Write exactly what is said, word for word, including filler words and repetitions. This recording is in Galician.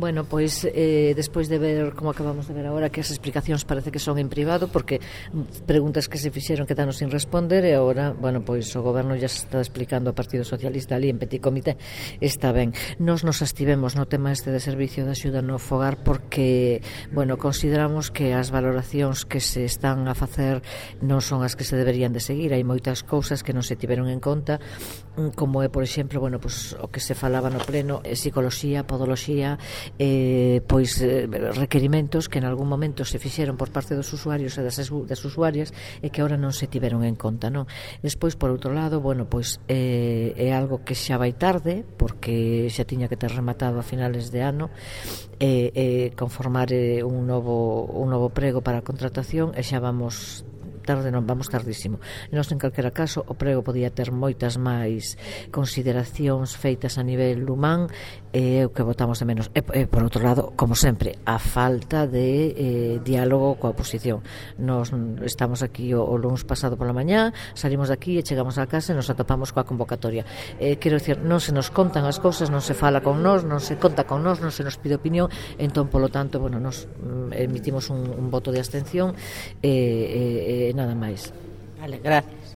Bueno, pois eh, despois de ver como acabamos de ver agora que as explicacións parece que son en privado porque preguntas que se fixeron quedaron sin responder e agora, bueno, pois o goberno ya se está explicando ao Partido Socialista ali en Petit Comité, está ben. Nos nos abstivemos no tema este de servicio de axuda no fogar porque, bueno, consideramos que as valoracións que se están a facer non son as que se deberían de seguir, hai moitas cousas que non se tiveron en conta, como é, por exemplo, bueno, pois o que se falaba no pleno, psicoloxía, podoloxía, eh, pois eh, requerimentos que en algún momento se fixeron por parte dos usuarios e das, das usuarias e que ahora non se tiveron en conta, non? Despois, por outro lado, bueno, pois eh, é algo que xa vai tarde porque xa tiña que ter rematado a finales de ano e eh, eh, conformar eh, un novo un novo prego para a contratación e xa vamos tarde, non vamos tardísimo. Nós, en calquera caso, o prego podía ter moitas máis consideracións feitas a nivel humán e o que votamos de menos. E, e por outro lado, como sempre, a falta de eh, diálogo coa oposición. Nos estamos aquí o, o lunes pasado pola mañá, salimos de aquí e chegamos á casa e nos atopamos coa convocatoria. Eh, quero dicir, non se nos contan as cousas, non se fala con nós, non se conta con nós, non se nos pide opinión, entón, polo tanto, bueno, nos emitimos un, un voto de abstención e eh, eh, nada máis. Vale, gracias.